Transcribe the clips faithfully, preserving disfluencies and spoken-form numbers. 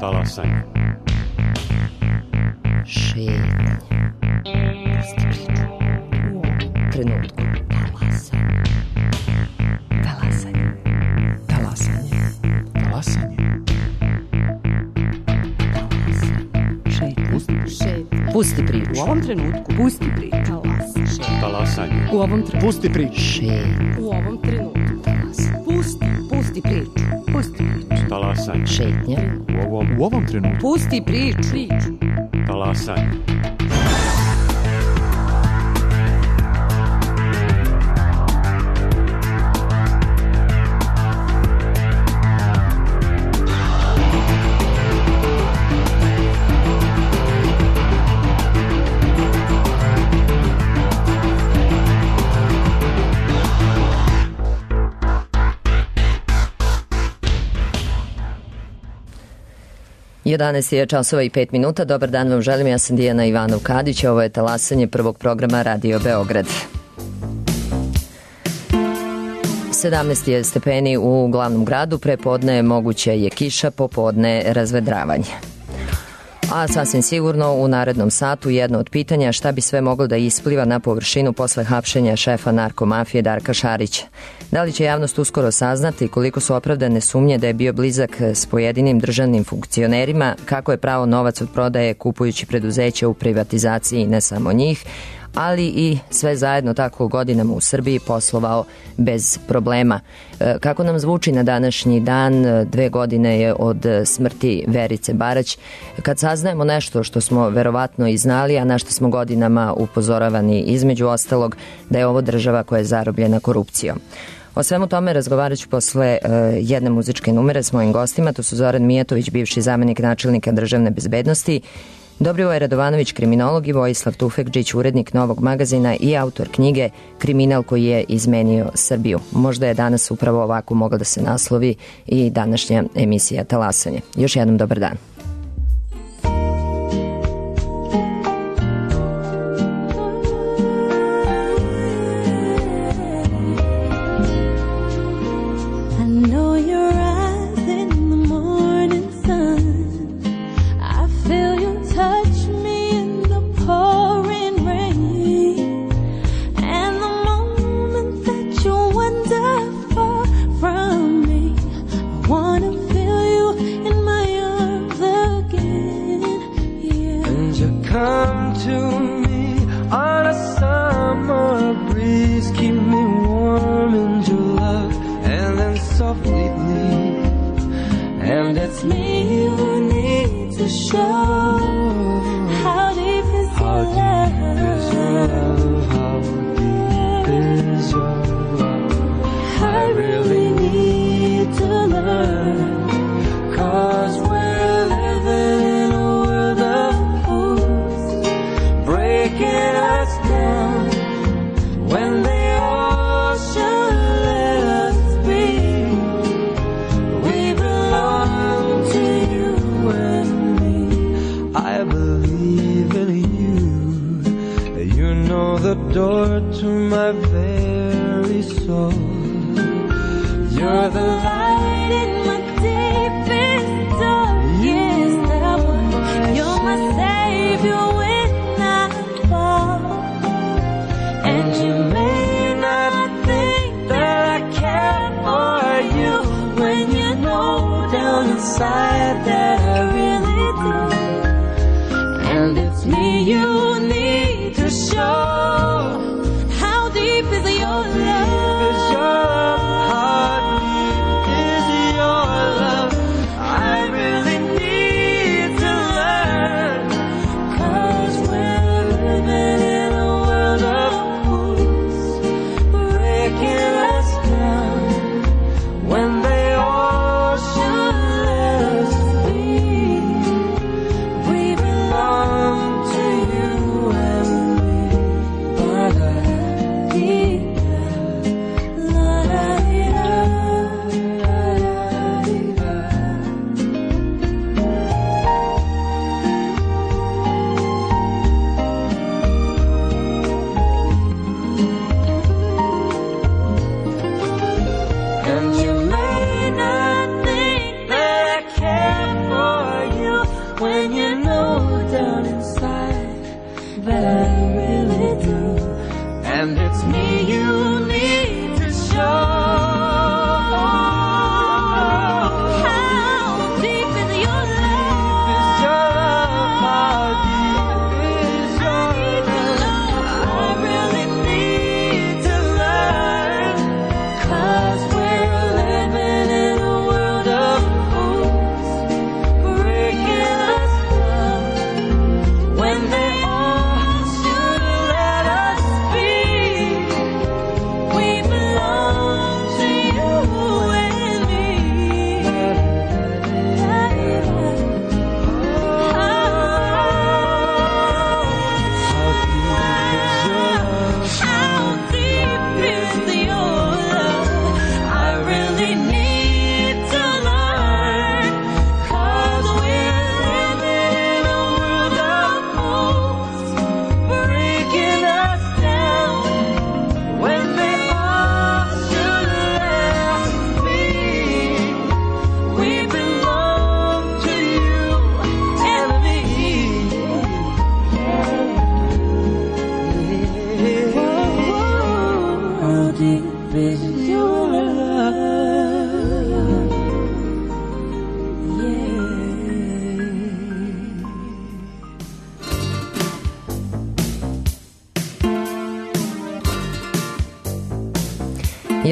Talasanje. Šetnje. Pusti priču. U ovom trenutku. Talasanje. Talasanje. Talasanje. Talasanje. Šetnje. Šetnje. Pusti priču. U ovom trenutku. Pusti priču. Talasanje. Talasanje. U ovom trenutku. Pusti priču. Šetnje. U ovom trenutku. Talasanje. Pusti. Pusti priču. Pusti priču. Talasanje. Šetnje. U ovom, u ovom trenutku. Pusti priču. Priču. Talasanje. jedanaest je časova i pet minuta. Dobar dan vam želim, ja sam Dijana Ivanov-Kadić, ovo je Talasanje prvog programa Radio Beograd. sedamnaest je stepeni u glavnom gradu, prepodne moguće je kiša, popodne razvedravanje. A sasvim sigurno u narednom satu jedno od pitanja šta bi sve moglo da ispliva na površinu posle hapšenja šefa narkomafije Darka Šarića. Da li će javnost uskoro saznati koliko su opravdane sumnje da je bio blizak s pojedinim državnim funkcionerima, kako je pravo novac od prodaje kupujući preduzeća u privatizaciji, ne samo njih, ali i sve zajedno tako godinama u Srbiji poslovao bez problema. Kako nam zvuči na današnji dan, dve godine je od smrti Verice Barać, kad saznajemo nešto što smo verovatno i znali, a na što smo godinama upozoravani, između ostalog da je ovo država koja je zarobljena korupcijom. O svemu tome razgovarat ću posle uh, jedne muzičke numere s mojim gostima. To su Zoran Mijatović, bivši zamenik načelnika državne bezbednosti, Dobrivoje Radovanović, kriminolog, i Vojislav Tufekđić, urednik Novog magazina i autor knjige Kriminal koji je izmenio Srbiju. Možda je danas upravo ovako mogla da se naslovi i današnja emisija Talasanje. Još jednom dobar dan. And you may not think that I care for you. deep is your love?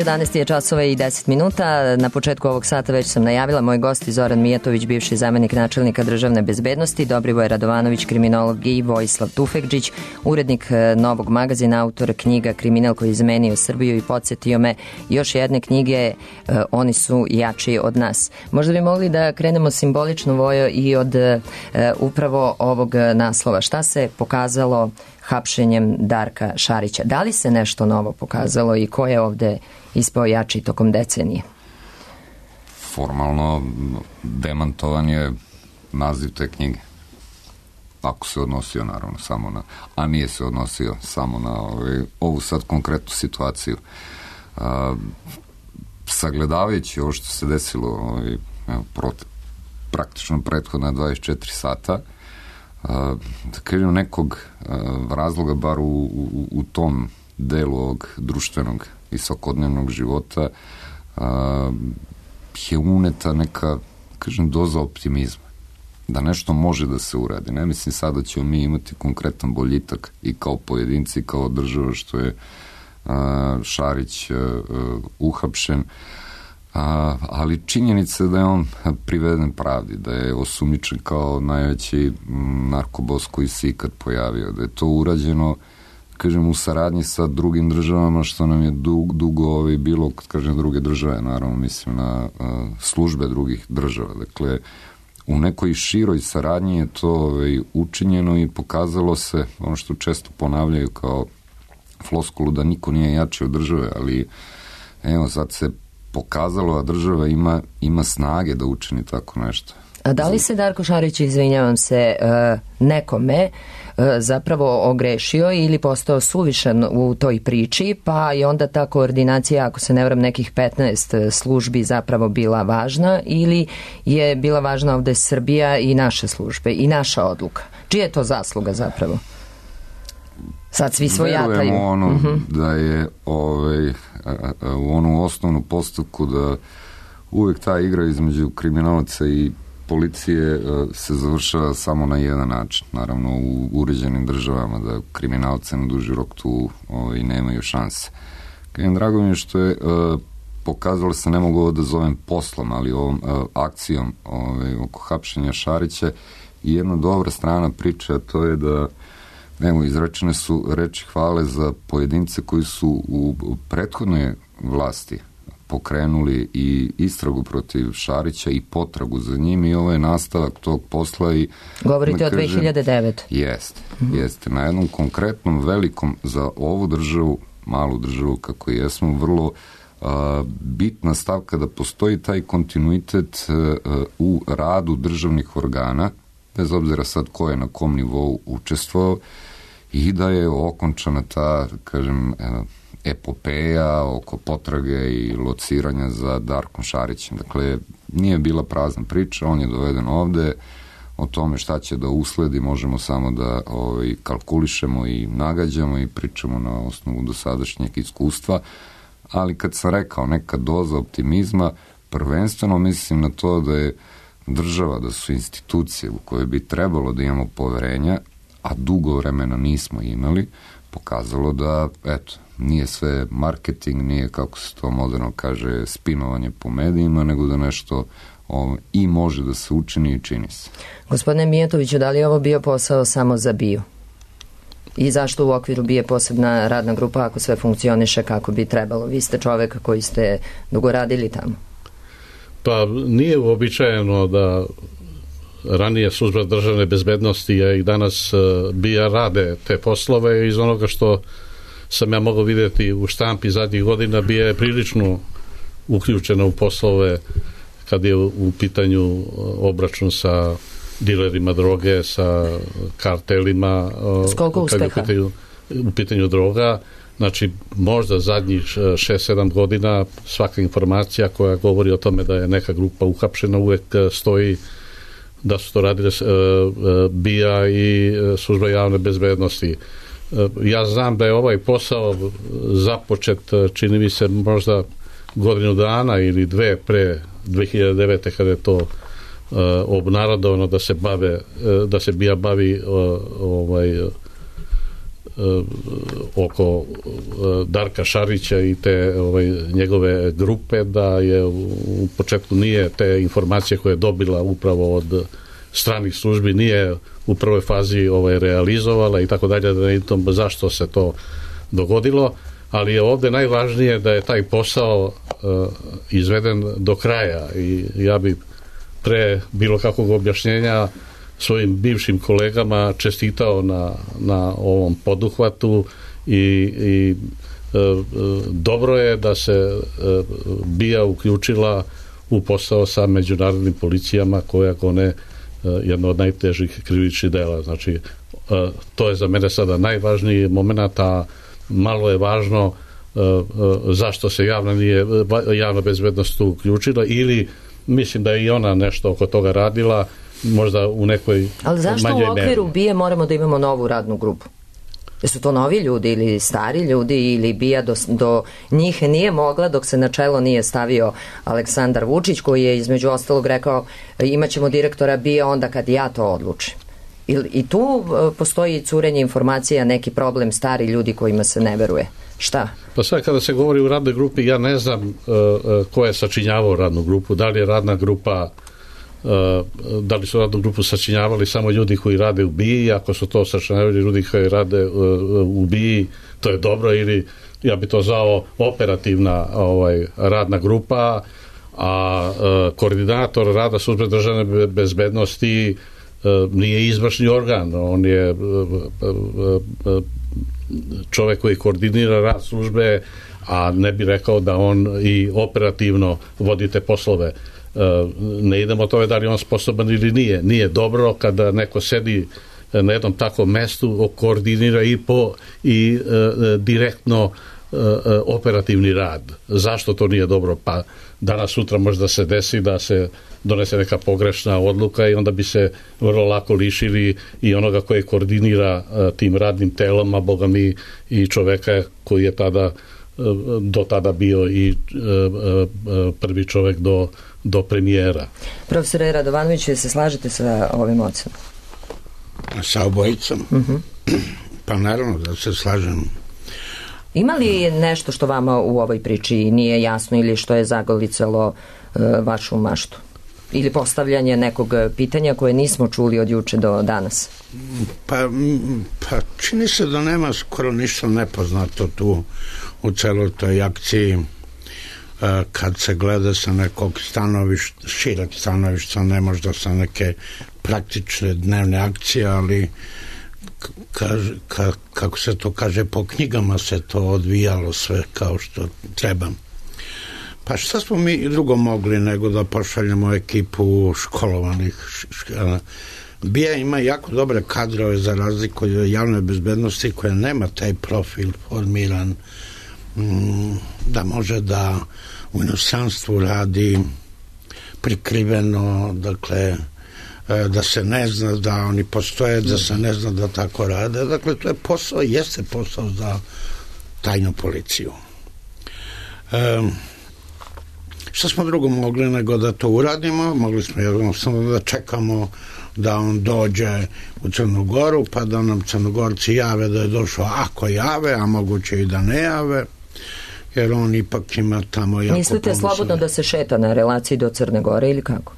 jedanaest je časova i deset minuta. Na početku ovog sata već sam najavila moj gost Zoran Mijatović, bivši zamenik načelnika državne bezbednosti, Dobrivoje Radovanović, kriminolog, i Vojislav Tufekđić, urednik Novog magazina, autor knjiga Kriminal koji je izmenio Srbiju i podsjetio me još jedne knjige Oni su jači od nas. Možda bi mogli da krenemo simbolično, Vojo, i od upravo ovog naslova. Šta se pokazalo hapšenjem Darka Šarića? Da li se nešto novo pokazalo i ko je ovde ispao jači tokom decenije? Formalno demantovan je naziv te knjige. Ako se odnosio naravno samo na, a nije se odnosio samo na ovaj, ovu sad konkretnu situaciju. A, sagledavajući ovo što se desilo ovaj, prot, praktično prethodna dvadeset četiri sata, Uh, da kažem nekog uh, razloga bar u, u, u tom delu ovog društvenog i svakodnevnog života uh, je uneta neka, kažem, doza optimizma da nešto može da se uradi. Ne mislim sad da ćemo mi imati konkretan boljitak i kao pojedinci i kao država što je uh, Šarić uh, uh, uhapšen. A, ali činjenica je da je on priveden pravdi, da je osumnjičen kao najveći narkobos koji se ikad pojavio, da je to urađeno, kažem, u saradnji sa drugim državama, što nam je dug, dugo ovaj bilo, kad kažem druge države, naravno mislim na a, službe drugih država. Dakle, u nekoj široj saradnji je to ovaj, učinjeno i pokazalo se, ono što često ponavljaju kao floskulu, da niko nije jači od države, ali evo sad se pokazalo, a država ima, ima snage da učini tako nešto. A da li se Darko Šarić, izvinjavam se, nekome zapravo ogrešio ili postao suvišan u toj priči, pa je onda ta koordinacija, ako se ne varam, nekih petnaest službi zapravo bila važna, ili je bila važna ovde Srbija i naše službe i naša odluka? Čija je to zasluga zapravo? Sad svi svojataju. Verujemo ono uh-huh. da je ovaj, u onu osnovnu postavku da uvek ta igra između kriminalaca i policije se završava samo na jedan način. Naravno, u uređenim državama da kriminalce na duži rok tu ovaj, nemaju šanse. Kajem, drago mi je što je uh, pokazalo se, ne mogu ovo da zovem poslom, ali ovom uh, akcijom ovaj, oko hapšenja Šarića, i jedna dobra strana priče, a to je da evo, izrečene su reči hvale za pojedince koji su u prethodnoj vlasti pokrenuli i istragu protiv Šarića i potragu za njim, i ovo je nastavak tog posla. I govorite o dve hiljade devete. Jeste, mm-hmm. jeste. Na jednom konkretnom, velikom, za ovu državu, malu državu kako jesmo, vrlo uh, bitna stavka da postoji taj kontinuitet uh, u radu državnih organa, bez obzira sad ko je na kom nivou učestvovao, i da je okončana ta, kažem, epopeja oko potrage i lociranja za Darkom Šarićem. Dakle, nije bila prazna priča, on je doveden ovde, o tome šta će da usledi možemo samo da ovaj, kalkulišemo i nagađamo i pričamo na osnovu dosadašnjeg iskustva, ali kad sam rekao neka doza optimizma, prvenstveno mislim na to da je država, da su institucije u koje bi trebalo da imamo poverenja, a dugo vremena nismo imali, pokazalo da, eto, nije sve marketing, nije, kako se to moderno kaže, spinovanje po medijima, nego da nešto o, i može da se učini i čini se. Gospodine Mijatoviću, da li je ovo bio posao samo za BIA? I zašto u okviru BIA posebna radna grupa ako sve funkcioniše kako bi trebalo? Vi ste čovek koji ste dugo radili tamo. Pa nije uobičajeno da ranije služba državne bezbednosti, a i danas BIA rade te poslove. Iz onoga što sam ja mogao vidjeti u štampi zadnjih godina, BIA je prilično uključena u poslove kad je u pitanju obračun sa dilerima droge, sa kartelima. S koliko uspeha? U pitanju, u pitanju droga. Znači, možda zadnjih šest sedam godina svaka informacija koja govori o tome da je neka grupa uhapšena uvek stoji da su to radile BIA i služba javne bezbednosti. ja znam da je ovaj posao započet, čini mi se možda godinu dana ili dve pre dve hiljade devete kada je to Uh, obnarodovano da se bave uh, da se bija bavi uh, ovaj uh, oko uh, Darka Šarića i te ovaj, njegove grupe, da je u, u početku nije te informacije koje je dobila upravo od stranih službi nije u prvoj fazi ovaj, realizovala i tako dalje, da ne znam zašto se to dogodilo, ali je ovde najvažnije da je taj posao uh, izveden do kraja i ja bi pre bilo kakvog objašnjenja svojim bivšim kolegama čestitao na, na ovom poduhvatu i, i e, dobro je da se e, bija uključila u posao sa međunarodnim policijama koja gone e, jedno od najtežih krivičnih dela. Znači, e, to je za mene sada najvažniji moment, a malo je važno e, e, zašto se javna, nije, javna bezbednost tu uključila ili mislim da je i ona nešto oko toga radila, možda u nekoj manjoj meri. Ali zašto u okviru BIA moramo da imamo novu radnu grupu? Jesu to novi ljudi ili stari ljudi ili BIA do, do njih nije mogla dok se na čelo nije stavio Aleksandar Vučić, koji je između ostalog rekao imaćemo direktora BIA onda kad ja to odlučim. I, i tu postoji curenje informacija, neki problem, stari ljudi kojima se ne veruje. Šta? Pa sad kada se govori u radnoj grupi, ja ne znam uh, ko je sačinjavao radnu grupu, da li je radna grupa uh, da li su radnu grupu sačinjavali samo ljudi koji rade u BIA-i, ako su to sačinjavali ljudi koji rade uh, u BIA-i, to je dobro, ili ja bi to zvao operativna ovaj, radna grupa, a uh, koordinator rada službe državne bezbednosti uh, nije izvršni organ, on je uh, uh, uh, čovek koji koordinira rad službe, a ne bi rekao da on i operativno vodi te poslove. Ne idemo o tome da li on sposoban ili nije. Nije dobro kada neko sedi na jednom takvom mestu, koordinira i po i e, direktno e, operativni rad. Zašto to nije dobro? Pa danas sutra možda se desi da se donese neka pogrešna odluka i onda bi se vrlo lako lišili i onoga koji koordinira uh, tim radnim telom, a boga mi i čoveka koji je tada uh, do tada bio i uh, uh, prvi čovek do, do premijera. Profesore Radovanoviću, se slažete sa ovim ocenom? Sa obojicom? Uh-huh. Pa naravno da se slažem. Ima li nešto što vama u ovoj priči nije jasno ili što je zagolicalo uh, vašu maštu? Ili postavljanje nekog pitanja koje nismo čuli od juče do danas? Pa, pa čini se da nema skoro ništa nepoznato tu u celoj toj akciji. Kad se gleda sa nekog stanovišta, šireg stanovišta, ne možda sa neke praktične dnevne akcije, ali kaže, ka, kako se to kaže, po knjigama se to odvijalo sve kao što treba. Pa šta smo mi drugo mogli nego da pošaljemo ekipu školovanih? BIA ima jako dobre kadrove za razliku od javne bezbednosti koja nema taj profil formiran da može da u inostranstvu radi prikriveno, dakle da se ne zna da oni postoje, da se ne zna da tako rade. Dakle, to je posao, jeste posao za tajnu policiju. Um, Šta smo drugo mogli nego da to uradimo? Mogli smo jednostavno da čekamo da on dođe u Crnu Goru, pa da nam Crnogorci jave da je došao, ako jave, a moguće i da ne jave, jer on ipak ima tamo jako... Mislite slobodno da se šeta na relaciji do Crne Gore ili kako?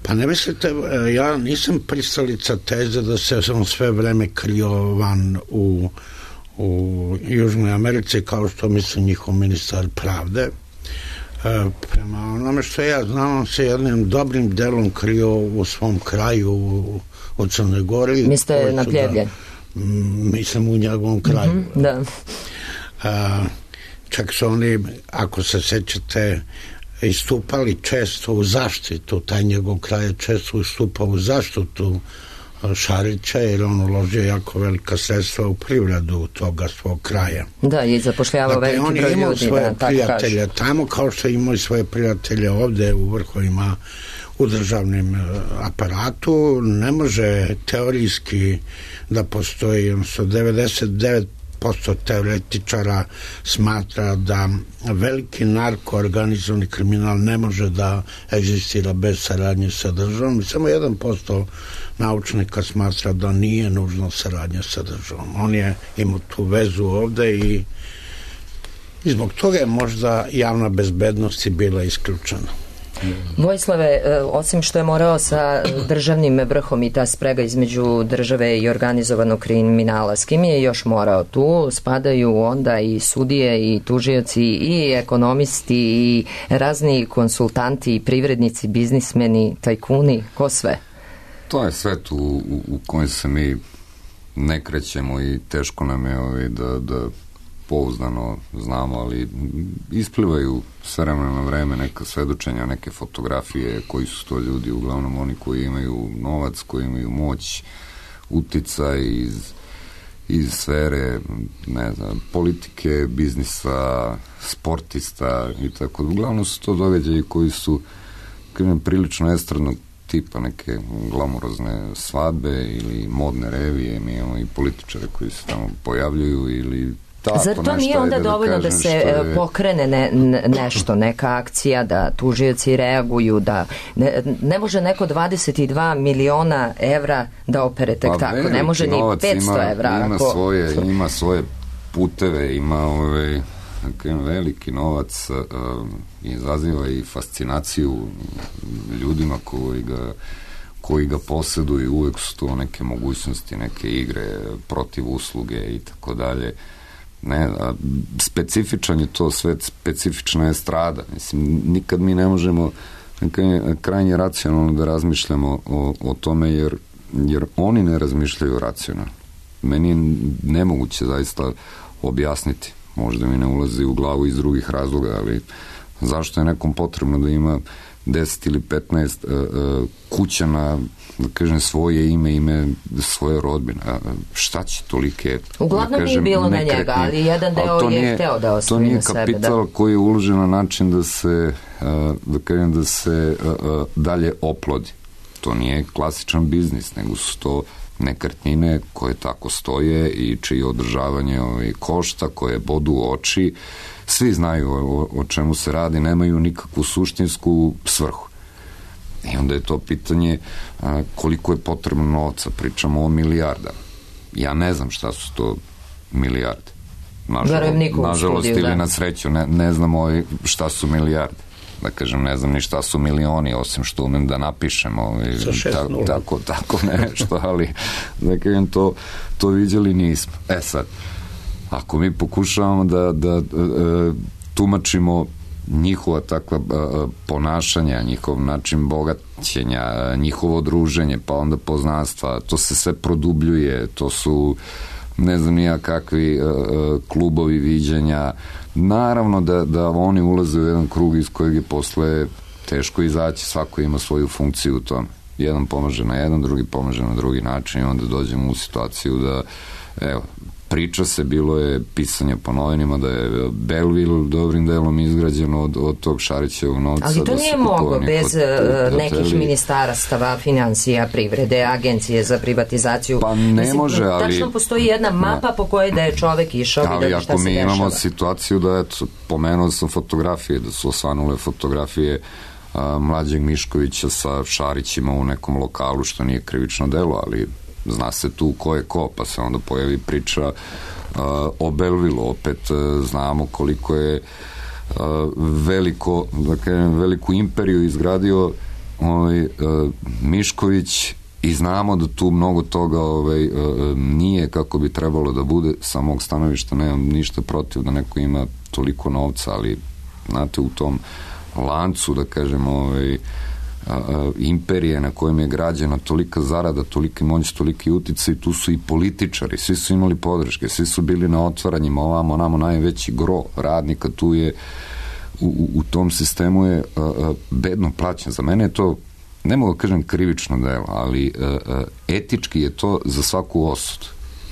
Pa ne mislite, ja nisam pristalica teze da se on sve vreme krio van u, u Južnoj Americi, kao što misli njihov ministar pravde. Prema onome što ja znam, on se jednim dobrim delom krio u svom kraju u, u Crnoj Gori. Mislite na Pljevlje? Da, mislim u njegovom kraju. Mm-hmm, da. A, čak su oni, ako se sećate, istupali često u zaštitu, taj njegov kraj je često istupao u zaštitu Šarića, jer on uložio jako velika sredstva u privredu toga svog kraja. Da, i zapošljavao dakle, veliki broj ljudi. On je imao svoje da, prijatelje tamo, kao što je imao i svoje prijatelje ovde u vrhovima u državnim aparatu. Ne može teorijski da postoji, odnosno devedeset devet posto teoretičara smatra da veliki narkoorganizovani kriminal ne može da egzistira bez saradnje sa državom. Samo jedan posto naučnika smatra da nije nužno saradnja sa državom. On je imao tu vezu ovde i, i zbog toga je možda javna bezbednost bila isključena. Vojislave, osim što je morao sa državnim vrhom i ta sprega između države i organizovanog kriminala, s kim je još morao? Tu spadaju onda i sudije i tužioci i ekonomisti i razni konsultanti i privrednici, biznismeni, tajkuni, ko sve? To je svet u, u, u kojem se mi ne krećemo i teško nam je ovaj, da, da pouzdano znamo, ali isplivaju s vremena na vreme neka svedočenja, neke fotografije, koji su to ljudi, uglavnom oni koji imaju novac, koji imaju moć, uticaj iz, iz sfere, ne znam, politike, biznisa, sportista i tako. Uglavnom su to događaji koji su kažem, prilično estradnog tipa, neke glamurozne svadbe ili modne revije, mi imamo i političare koji se tamo pojavljuju ili tako, zar to nije onda dovoljno da, da se je... pokrene ne, nešto, neka akcija, da tužioci reaguju, da ne, ne može neko dvadeset dva miliona evra da opere tek pa, tako, ne može ni petsto evra. Ima, ako... svoje, ima svoje puteve, ima ove, veliki novac, uh, izaziva i fascinaciju ljudima koji ga koji ga posjeduju, uvek su to neke mogućnosti, neke igre protiv usluge i tako dalje. Ne, a specifičan je to svet, specifična je strada. Mislim, nikad mi ne možemo krajnje racionalno da razmišljamo o, o tome, jer, jer oni ne razmišljaju racionalno. Meni je nemoguće zaista objasniti. Možda mi ne ulazi u glavu iz drugih razloga, ali zašto je nekom potrebno da ima deset ili petnaest uh, uh, kuća na, da kažem, svoje ime, ime svoje rodbine. A šta će tolike... Uglavnom da kažem, nije bilo na njega, ali jedan deo je nije, hteo da osvoji na sebe. To nije kapital da. Koji je uložen na način da se, uh, da kažem, da se uh, uh, dalje oplodi. To nije klasičan biznis, nego su to nekretnine koje tako stoje i čije održavanje ovaj, košta, koje bodu u oči. Svi znaju o, o čemu se radi, nemaju nikakvu suštinsku svrhu. I onda je to pitanje a, koliko je potrebno novca. Pričamo o milijardama. Ja ne znam šta su to milijarde. Nažalost, nažalost ili da. Na sreću ne, ne znamo šta su milijarde. Da kažem, ne znam ni šta su milioni, osim što umem da napišem ovaj, ta, tako, tako nešto, ali da kažem, to, to vidjeli nismo. E sad, ako mi pokušavamo da, da e, tumačimo njihova takva e, ponašanja, njihov način bogaćenja, njihovo druženje, pa onda poznanstva, to se sve produbljuje, to su ne znam nija kakvi e, klubovi viđenja. Naravno da, da oni ulaze u jedan krug iz kojeg je posle teško izaći, svako ima svoju funkciju u tom. Jedan pomaže na jedan, drugi pomaže na drugi način i onda dođemo u situaciju da, evo, priča se, bilo je pisanje po novinima da je Belleville dobrim delom izgrađeno od, od tog Šarićevog novca. Ali to da nije mogo bez hoteli. Nekih ministarstava, financija, privrede, agencije za privatizaciju. Pa ne Mislim, može, ali... Tačno postoji jedna mapa po kojoj da je čovek išao i da šta se dešava. Ali ako mi imamo situaciju da, eto, pomenuo sam fotografije, da su osvanule fotografije a, mlađeg Miškovića sa Šarićima u nekom lokalu, što nije krivično delo, ali zna se tu ko je ko, pa se onda pojavi priča uh, o Belleville, opet uh, znamo koliko je uh, veliko, da kažem, veliku imperiju izgradio ovaj, uh, Mišković i znamo da tu mnogo toga ovaj, uh, nije kako bi trebalo da bude. Sa mog stanovišta nemam ništa protiv da neko ima toliko novca, ali znate, u tom lancu, da kažem, ovaj, imperije na kojem je građena tolika zarada, toliki moć, toliki uticaj, tu su i političari, svi su imali podrške, svi su bili na otvaranjima, ovamo, namo najveći gro radnika tu je u, u tom sistemu je a, a, bedno plaćen. Za mene je to ne mogu kažem krivično delo, ali etički je to za svaku osudu.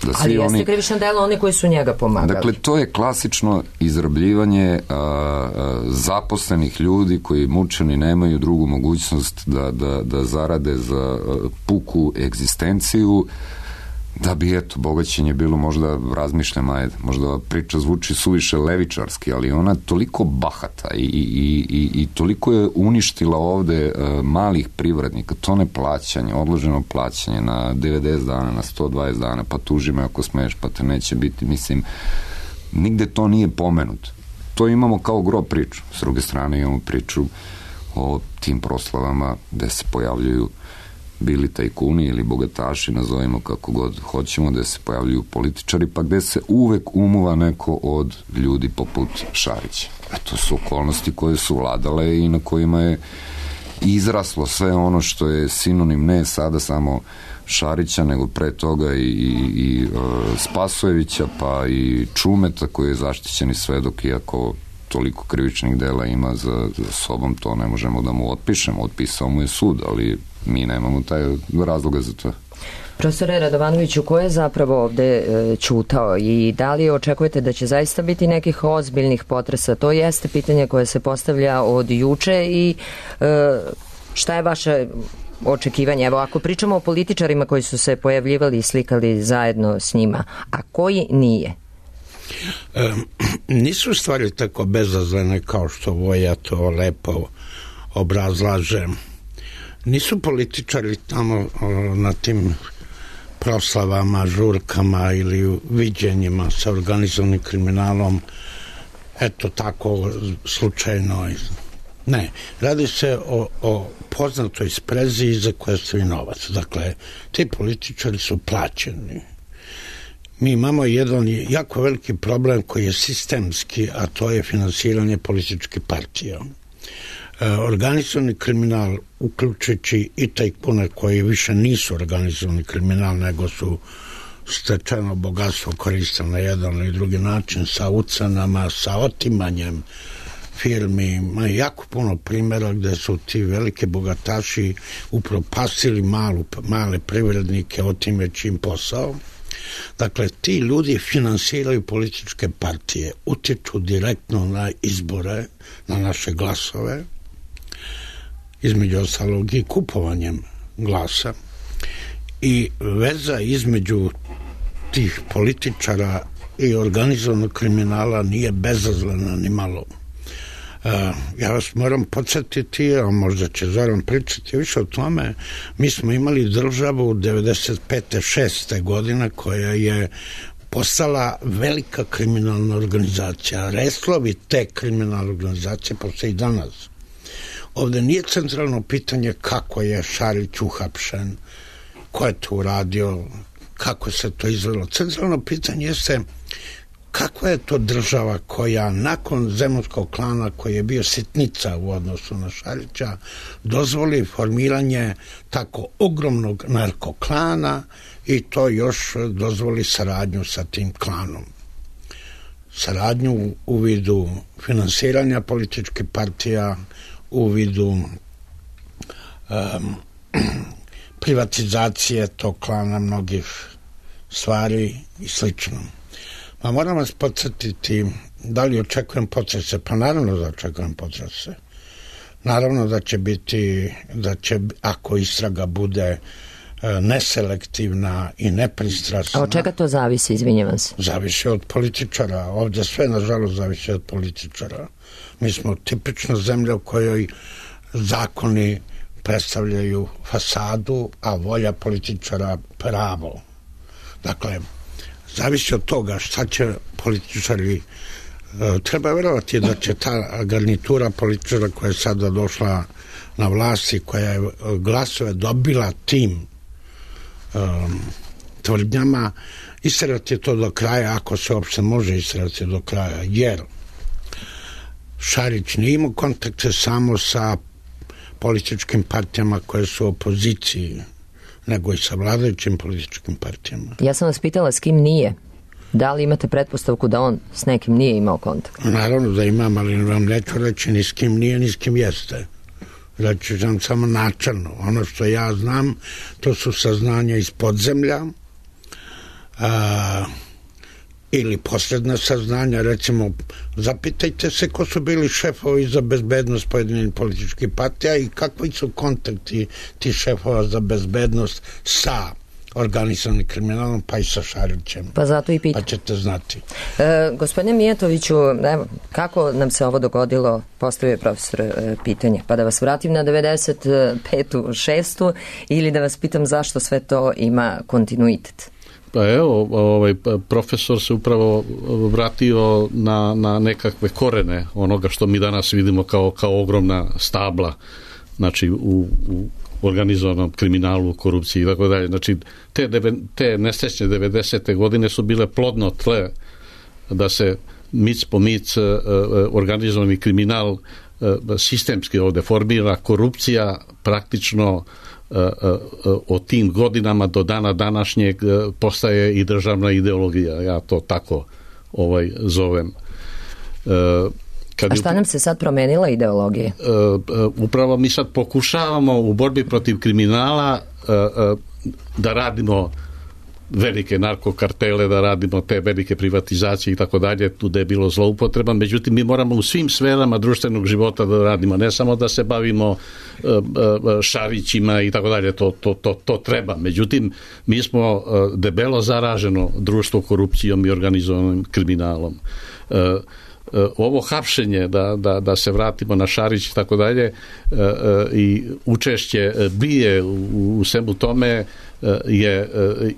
Da ali jeste oni, krivično delo oni koji su njega pomagali. Dakle, to je klasično izrabljivanje a, a, zaposlenih ljudi koji mučeni nemaju drugu mogućnost da, da, da zarade za a, puku egzistenciju, da bi, eto, bogaćenje bilo, možda razmišljam, ajde, možda priča zvuči suviše levičarski, ali ona toliko bahata i, i, i, i toliko je uništila ovde uh, malih privrednika, to neplaćanje, odloženo plaćanje na devedeset dana, na sto dvadeset dana, pa tuži me ako smeš, pa te neće biti, mislim, nigde to nije pomenuto. To imamo kao gro priču. S druge strane imamo priču o tim proslavama gde se pojavljuju bili tajkuni ili bogataši, nazovimo kako god hoćemo, gde se pojavljuju političari, pa gde se uvek umuva neko od ljudi poput Šarića. A to su okolnosti koje su vladale i na kojima je izraslo sve ono što je sinonim ne sada samo Šarića, nego pre toga i, i, i uh, Spasojevića, pa i Čumeta koji je zaštićeni svedok, iako toliko krivičnih dela ima za, za sobom, to ne možemo da mu otpišemo, otpisao mu je sud, ali mi nemamo taj razloga za to. Profesore Radovanoviću, ko je zapravo ovde e, ćutao i da li očekujete da će zaista biti nekih ozbiljnih potresa? To jeste pitanje koje se postavlja od juče i e, šta je vaše očekivanje? Evo, ako pričamo o političarima koji su se pojavljivali i slikali zajedno s njima, a koji nije? E, nisu stvari tako bezazlene kao što Voja to lepo obrazlaže. Nisu političari tamo o, na tim proslavama, žurkama ili viđenjima sa organizovanim kriminalom eto tako slučajno. Ne, radi se o, o poznatoj sprezi za koje stoji novac. Dakle, ti političari su plaćeni. Mi imamo jedan jako veliki problem koji je sistemski, a to je finansiranje političkih partija. Organizovani kriminal, uključujući i tajkune koji više nisu organizovani kriminal, nego su stečeno bogatstvo koristili na jedan ili drugi način, sa ucenama, sa otimanjem firmi. Ima jako puno primjera gde su ti velike bogataši upropastili malu, male privrednike, otimeći im posao. Dakle, ti ljudi finansiraju političke partije, utiču direktno na izbore, na naše glasove, između ostalog i kupovanjem glasa, i veza između tih političara i organizovanog kriminala nije bezazlena ni malo. Uh, ja vas moram podsjetiti, a možda će Zoran pričati više o tome, mi smo imali državu devedeset pete šeste godine koja je postala velika kriminalna organizacija. Reslovi te kriminalne organizacije postoje i danas. Ovde nije centralno pitanje kako je Šarić uhapšen, ko je to uradio, kako se to izvelo. Centralno pitanje jeste kakva je to država koja nakon Zemunskog klana, koji je bio sitnica u odnosu na Šarića, dozvoli formiranje tako ogromnog narkoklana i to još dozvoli saradnju sa tim klanom. Saradnju u vidu finansiranja političkih partija, u vidu um, privatizacije tog klana, mnogih stvari i slično. Pa moram vas podsjetiti, da li očekujem potrese? Pa naravno da očekujem potrese. Naravno da će biti, da će, ako istraga bude neselektivna i nepristrasna. A od čega to zavisi, izvinjavam se? Zavisi od političara. Ovdje sve, nažalost, zavisi od političara. Mi smo tipična zemlja u kojoj zakoni predstavljaju fasadu, a volja političara pravo. Dakle, zavisi od toga šta će političari, treba verovati da će ta garnitura političara koja je sada došla na vlasti, koja je glasove dobila tim um, tvrdnjama, istrati to do kraja, ako se uopšte može istrati do kraja, jer Šarić nije imao kontakte samo sa političkim partijama koje su u opoziciji, nego i sa vladajućim političkim partijama. Ja sam vas pitala s kim nije. Da li imate pretpostavku da on s nekim nije imao kontakt? Naravno da imam, ali vam neću reći ni s kim nije, ni s kim jeste. Reći ću vam samo načelno. Ono što ja znam, to su saznanja iz podzemlja, a, ili posredna saznanja. Recimo, zapitajte se ko su bili šefovi za bezbednost pojedinih političkih partija i kakvi su kontakti ti šefova za bezbednost sa organizovanim kriminalom, pa i sa Šarićem. Pa zato i pitam. Pa ćete znati. E, gospodine Mijatoviću, evo, kako nam se ovo dogodilo, postavio je profesor e, pitanje, pa da vas vratim na devedeset petu šestu ili da vas pitam zašto sve to ima kontinuitet? Pa evo, ovaj, profesor se upravo vratio na, na nekakve korene onoga što mi danas vidimo kao, kao ogromna stabla, znači u, u organizovanom kriminalu, korupciji i tako dalje. Znači, te, te nesrećne devedesete godine su bile plodno tle da se mic po mic organizovani kriminal sistemski ovde formira, korupcija praktično od tim godinama do dana današnjeg postaje i državna ideologija. Ja to tako ovaj zovem. Kad A šta nam se sad promenila ideologija? Upravo mi sad pokušavamo u borbi protiv kriminala da radimo velike narkokartele, da radimo te velike privatizacije i tako dalje, tu da je bilo zloupotreba, međutim mi moramo u svim sferama društvenog života da radimo, ne samo da se bavimo Šarićima i tako dalje, to, to, to, to treba. Međutim, mi smo debelo zaraženo društvo korupcijom i organizovanim kriminalom. Ovo hapšenje, da, da, da se vratimo na Šarić i tako dalje, i učešće bije u, u svemu tome je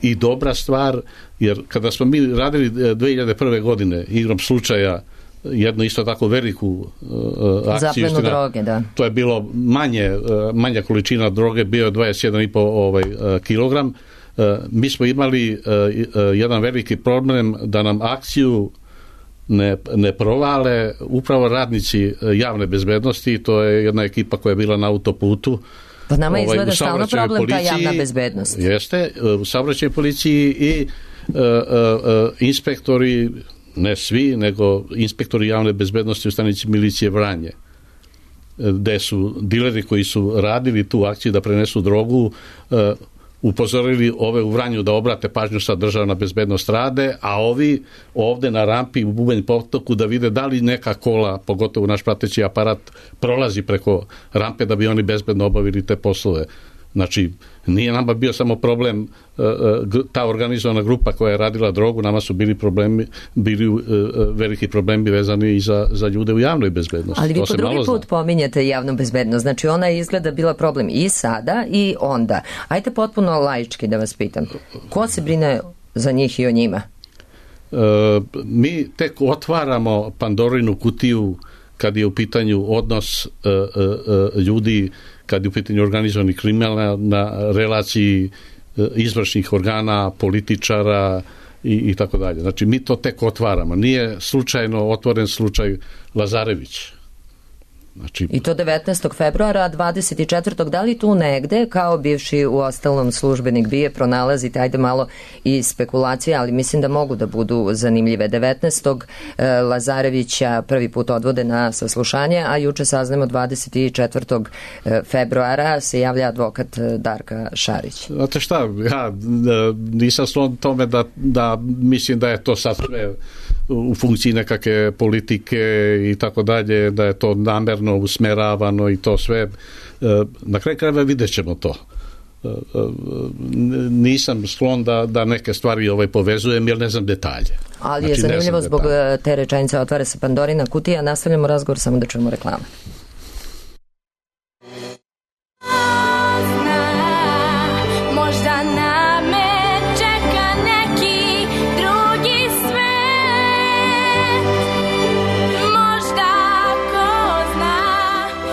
i dobra stvar, jer kada smo mi radili dve hiljade prve. godine igrom slučaja jednu isto tako veliku uh, akciju. Zaplenu droge, da. To je bilo manje, uh, manja količina droge, bio je dvadeset jedan i po ovaj, uh, kilogram. Uh, mi smo imali uh, uh, jedan veliki problem da nam akciju ne, ne provale upravo radnici javne bezbednosti, to je jedna ekipa koja je bila na autoputu. Pa nama izgleda ovaj, stalno problem policiji, ta javna bezbednost. Jeste, u saobraćajnoj policiji i uh, uh, uh, inspektori, ne svi, nego inspektori javne bezbednosti u stanici milicije Vranje, gde su dileri koji su radili tu akciju da prenesu drogu, uh, upozorili ove u Vranju da obrate pažnju sa državna bezbednost rade, a ovi ovde na rampi u Bubanj potoku da vide da li neka kola, pogotovo naš prateći aparat, prolazi preko rampe da bi oni bezbedno obavili te poslove. Znači, nije nama bio samo problem ta organizovana grupa koja je radila drogu, nama su bili problemi, bili veliki problemi vezani i za, za ljude u javnoj bezbednosti. Ali vi po drugi put pominjete javnu bezbednost, znači ona je izgleda bila problem i sada i onda. Ajde potpuno laički da vas pitam, ko se brine za njih i o njima? E, mi tek otvaramo Pandorinu kutiju kad je u pitanju odnos e, e, ljudi, kad je u pitanju organizovani kriminal na relaciji izvršnih organa, političara i, i tako dalje. Znači, mi to tek otvaramo. Nije slučajno otvoren slučaj Lazarević. Znači, I to devetnaestog februara, a dvadeset četvrtog da li tu negde, kao bivši u ostalom službenik bije, pronalazite, ajde malo i spekulacije, ali mislim da mogu da budu zanimljive. devetnaestog Lazarevića prvi put odvode na saslušanje, a juče saznamo dvadeset četvrtog februara se javlja advokat Darka Šarić. Znate šta, ja nisam slon tome da, da mislim da je to sad sve u funkciji nekakve politike i tako dalje, da je to namerno usmeravano i to sve. Na kraju krajeva vidjet ćemo to. Nisam sklon da, da neke stvari ovaj povezujem jer ne znam detalje. Ali znači, je zanimljivo zbog detalje. Te rečenice otvara se Pandorina kutija. Nastavljamo razgovor, samo da čujemo reklamu.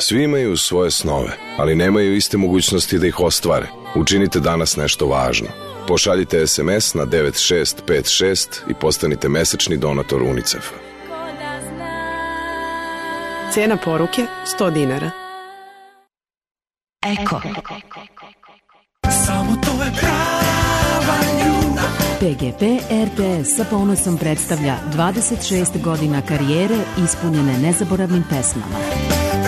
Svi imaju svoje snove, ali nemaju iste mogućnosti da ih ostvare. Učinite danas nešto važno. Pošaljite es em es na devet šest pet šest i postanite mesečni donator UNICEF-a. Cena poruke sto dinara. Eko. Samo to je prava ljubav. P G P R T S sa ponosom predstavlja dvadeset šest godina karijere ispunjene nezaboravnim pesmama.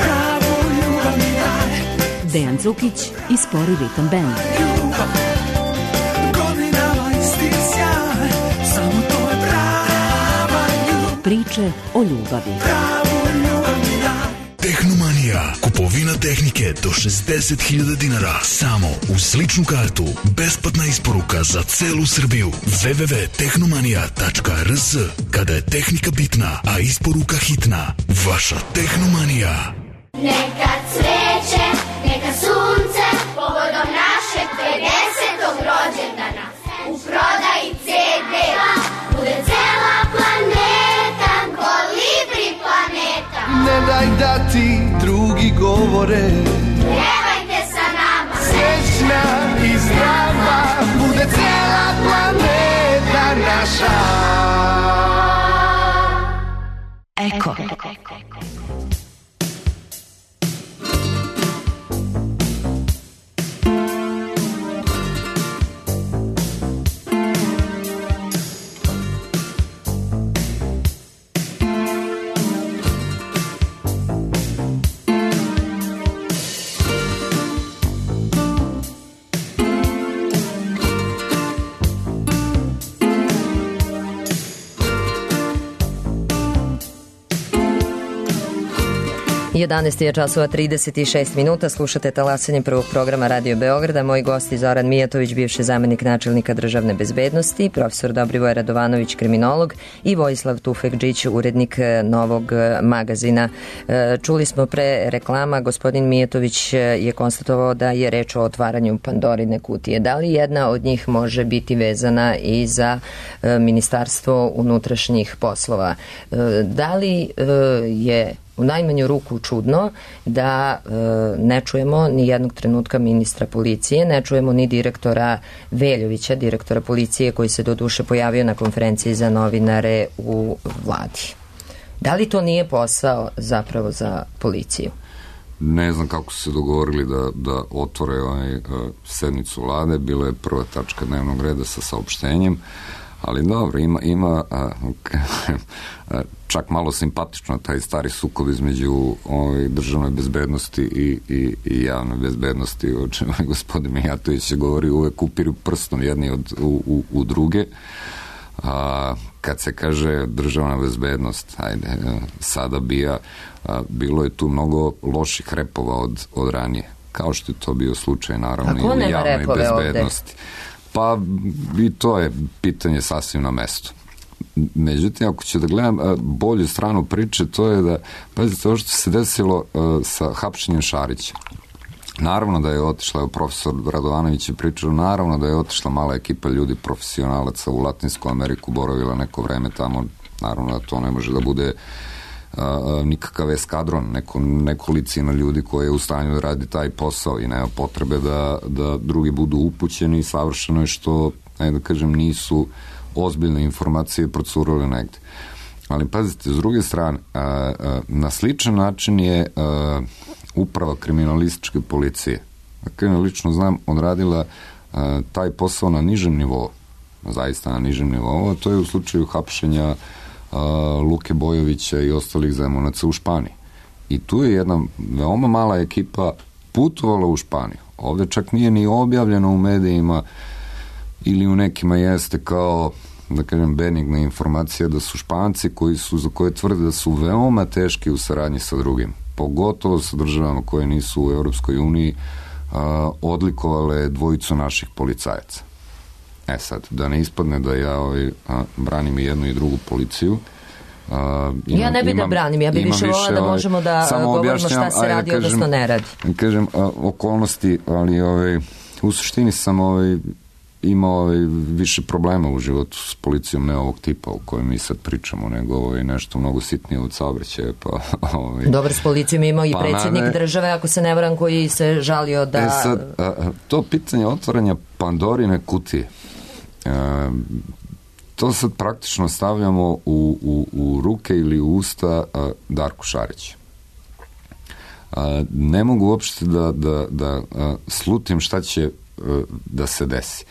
Pravu ljubav mi daj. Dejan Cukić i Spori ritam band. Godinama isti sjaj, samo to je prava ljubav. Priče o ljubavi. Pravu ljubav mi daj. Tehnomanija. Kupovina tehnike do šezdeset hiljada dinara. Samo uz ličnu kartu. Besplatna isporuka za celu Srbiju. w w w tačka tehnomanija tačka r s. Kada je tehnika bitna, a isporuka hitna. Vaša Tehnomanija. Neka cveće, neka sunce, povodom našeg pedesetog rođendana. U prodaji ce de bude cela planeta, Kolibri planeta. Ne daj da ti drugi govore, Pevajte sa nama, srećna i zdrava, bude cela planeta naša. Eko. jedanaest je časova trideset šest minuta, slušate talasanje prvog programa Radio Beograda. Moji gosti Zoran Mijatović, bivši zamenik načelnika državne bezbednosti, profesor Dobrivoje Radovanović, kriminolog, i Vojislav Tufekđić, urednik Novog magazina. Čuli smo pre reklama, gospodin Mijatović je konstatovao da je reč o otvaranju Pandorine kutije. Da li jedna od njih može biti vezana i za Ministarstvo unutrašnjih poslova? Da li je u najmanju ruku čudno da e, ne čujemo ni jednog trenutka ministra policije, ne čujemo ni direktora Veljovića, direktora policije, koji se do duše pojavio na konferenciji za novinare u vladi. Da li to nije posao zapravo za policiju? Ne znam kako su se dogovorili da, da otvore ovaj, sednicu vlade. Bila je prva tačka dnevnog reda sa saopštenjem, ali dobro, ima, ima a, a, čak malo simpatično taj stari sukob između ovaj, državne bezbednosti i, i, i javne bezbednosti, o čemu je gospodin Mijatović je govori, uvek upiru prstom jedni od, u, u, u druge. A, kad se kaže državna bezbednost, ajde, sada bija, a, bilo je tu mnogo loših repova od, od ranije, kao što je to bio slučaj naravno i u javnoj bezbednosti. Ovde? Pa i to je pitanje sasvim na mestu. Međutim, ako ću da gledam bolju stranu priče, to je da, pazite, ovo što se desilo sa hapšenjem Šarića. Naravno da je otišla, evo profesor Radovanović je pričao, naravno da je otišla mala ekipa ljudi, profesionalaca u Latinsku Ameriku, boravila neko vreme tamo, naravno da to ne može da bude a, nikakav eskadron, neko, nekolicina ljudi koji je u stanju da radi taj posao i nema potrebe da, da drugi budu upućeni i savršeno je što, ajde da kažem, nisu ozbiljne informacije procurale negde. Ali pazite, s druge strane, a, a, na sličan način je a, uprava kriminalističke policije, dakle, ja lično znam, odradila a, taj posao na nižem nivou, zaista na nižem nivou, a to je u slučaju hapšenja a, Luke Bojovića i ostalih Zemunaca u Španiji. I tu je jedna veoma mala ekipa putovala u Španiju. Ovde čak nije ni objavljeno u medijima ili u nekima jeste kao, da kažem, benigna informacija da su Španci koji su, za koje tvrde da su veoma teški u saradnji sa drugim, pogotovo sa državama koje nisu u Europskoj uniji, a, odlikovale dvojicu naših policajaca. E sad, da ne ispadne da ja ovaj, a, branim i jednu i drugu policiju. A, imam, ja ne bi imam, da branim, ja bi više volila da možemo da govorimo šta se radi, kažem, odnosno ne radi. Kažem, a, okolnosti, ali ovaj, u suštini sam ovaj, imao ovaj, više problema u životu s policijom, ne ovog tipa o kojem mi sad pričamo, nego ovaj, nešto mnogo sitnije od saobraćaja. Pa, ovaj, Dobar, s policijom imao i pa predsjednik ne, države, ako se ne varam, koji se žalio da... E sad, a, to pitanje otvaranja Pandorine kutije, a, to sad praktično stavljamo u, u, u ruke ili u usta a, Darku Šariću. A, ne mogu uopšte da, da, da a, slutim šta će a, da se desi.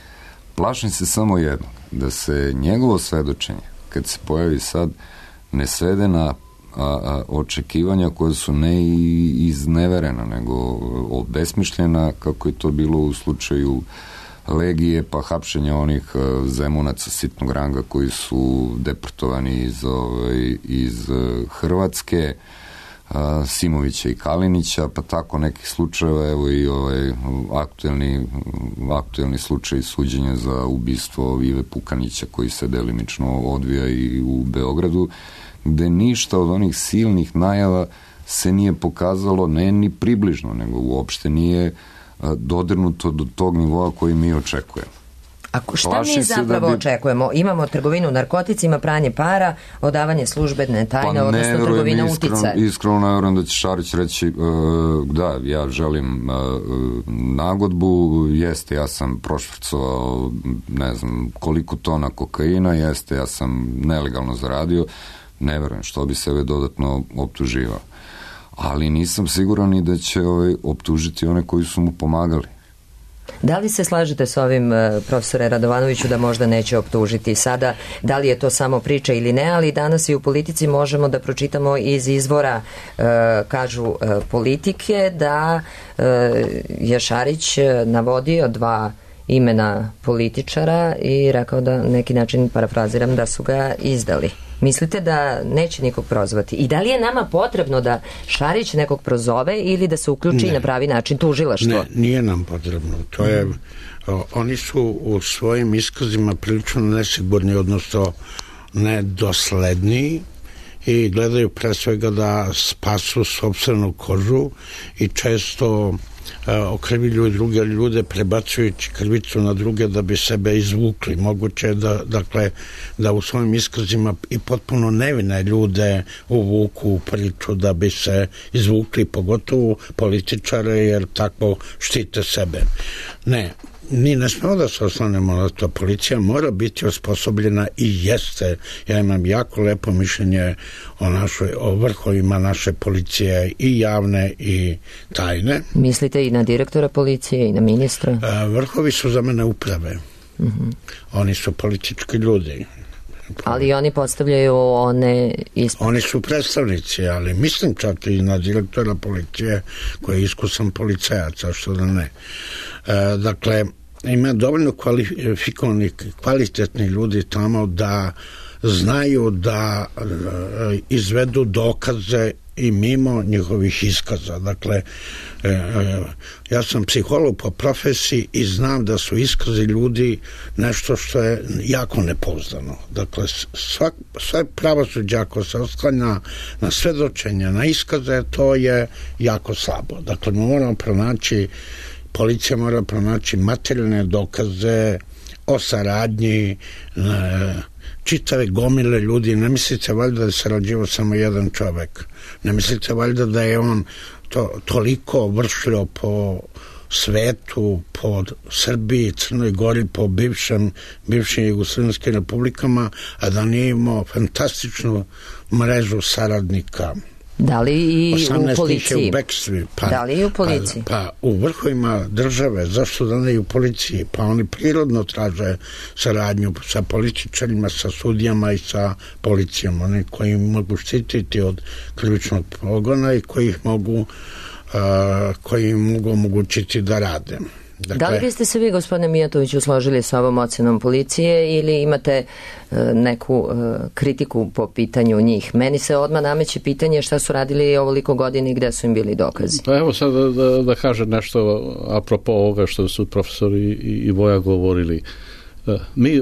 Plašim se samo jedno, da se njegovo svedočenje, kad se pojavi sad, ne svede na a, a, očekivanja koja su ne izneverena, nego obesmišljena, kako je to bilo u slučaju Legije, pa hapšenja onih Zemunaca sitnog ranga koji su deportovani iz, ovaj, iz Hrvatske, Simovića i Kalinića, pa tako nekih slučajeva, evo i ovaj aktuelni, aktuelni slučaj suđenja za ubistvo Ive Pukanića koji se delimično odvija i u Beogradu, gde ništa od onih silnih najava se nije pokazalo, ne ni približno, nego uopšte nije dodirnuto do tog nivoa koji mi očekujemo. A šta mi zapravo bi... očekujemo? Imamo trgovinu narkoticima, pranje para, odavanje službene tajne, pa odnosno trgovina uticaja. Iskreno ne verujem da će Šarić reći uh, da, ja želim uh, nagodbu, jeste, ja sam prošvrcovao ne znam koliko tona kokaina, jeste, ja sam nelegalno zaradio, ne verujem što bi sebe dodatno optuživao. Ali nisam siguran i da će ovaj, optužiti one koji su mu pomagali. Da li se slažete s ovim, profesore Radovanoviću, da možda neće optužiti sada? Da li je to samo priča ili ne? Ali danas i u politici možemo da pročitamo iz izvora, e, kažu e, politike, da e, je Šarić navodio dva imena političara i rekao da neki način, parafraziram, da su ga izdali. Mislite da neće nikog prozvati? I da li je nama potrebno da Šarić nekog prozove ili da se uključi ne. na pravi način tužilaštvo? Ne, nije nam potrebno. To je, mm. o, oni su u svojim iskazima prilično nesigurni, odnosno nedosledni i gledaju pre svega da spasu sopstvenu kožu i često okrivljuju druge ljude prebacujući krivicu na druge da bi sebe izvukli. Moguće je da, dakle, da u svojim iskazima i potpuno nevine ljude uvuku u priču da bi se izvukli, pogotovo političare, jer tako štite sebe. Ne, mi ne smemo da se oslanemo na to. Policija mora biti osposobljena i jeste. Ja imam jako lepo mišljenje o, našoj, o vrhovima naše policije i javne i tajne. Mislite i na direktora policije i na ministra? Vrhovi su za mene uprave. Uh-huh. Oni su politički ljudi. Ali oni postavljaju one ispred. Oni su predstavnici, ali mislim čak i na direktora policije koji je iskusan policajac, a što da ne. E, dakle, ima dovoljno kvalifikovani, kvalitetni ljudi tamo da znaju da e, izvedu dokaze i mimo njihovih iskaza. Dakle, e, e, ja sam psiholog po profesiji i znam da su iskazi ljudi nešto što je jako nepouzdano. Dakle, svak, sve pravosuđe ako se osklanja na svedočenja, na iskaze, to je jako slabo. Dakle, mi moramo pronaći, policija mora pronaći materijalne dokaze o saradnji, e, čitave gomile ljudi. Ne mislite valjda da je sarađivao samo jedan čovek. Ne mislite valjda da je on to, toliko vršljao po svetu, po Srbiji, Crnoj Gori, po bivšem, bivšim jugoslavenskim republikama, a da nije imao fantastičnu mrežu saradnika. Da li i u policiji? U Bekstvi, pa, da li i u policiji? Pa, pa u vrhovima države, zašto da ne i u policiji? Pa oni prirodno traže saradnju sa političarima, sa sudijama i sa policijom. Oni koji mogu štititi od krivičnog progona i koji ih mogu, uh, koji im mogu omogućiti da rade. Dakle, da li biste se vi, gospodine Mijatoviću, složili sa ovom ocenom policije ili imate uh, neku uh, kritiku po pitanju njih? Meni se odmah nameće pitanje šta su radili ovoliko godina i gde su im bili dokazi. Pa evo sad da, da, da kažem nešto apropo ovoga što su profesori i, i Voja govorili. Uh, mi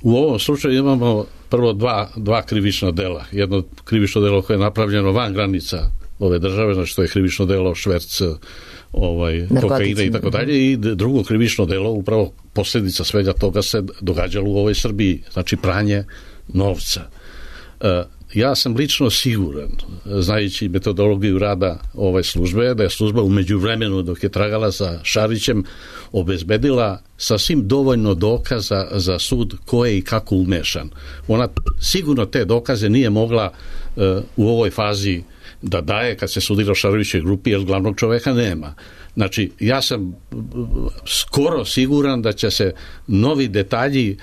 u ovom slučaju imamo prvo dva, dva krivična dela. Jedno krivično delo koje je napravljeno van granica ove države, znači to je krivično delo šverc ovaj, kokaina i tako dalje, i drugo krivično delo, upravo posljedica svega toga se događalo u ovoj Srbiji, znači pranje novca. E, ja sam lično siguran, znajući metodologiju rada ove službe, da je služba u međuvremenu dok je tragala za Šarićem obezbedila sasvim dovoljno dokaza za sud ko je i kako umešan. Ona sigurno te dokaze nije mogla e, u ovoj fazi da daje kad se sudilo Šarovićoj grupi, jer glavnog čoveka nema. Znači, ja sam skoro siguran da će se novi detalji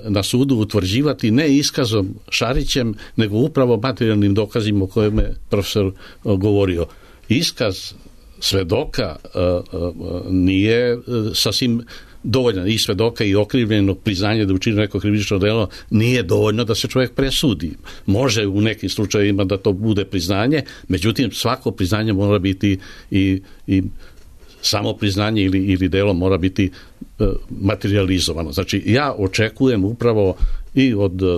na sudu utvrđivati ne iskazom Šarićem, nego upravo materijalnim dokazima o kojima je profesor govorio. Iskaz svedoka nije sasvim dovoljno, i svedoka i okrivljenog priznanja da učinio neko krivično delo nije dovoljno da se čovjek presudi. Može u nekim slučajevima da to bude priznanje, međutim svako priznanje mora biti i, i samo priznanje ili, ili delo mora biti e, materializovano. Znači ja očekujem upravo i od e, e,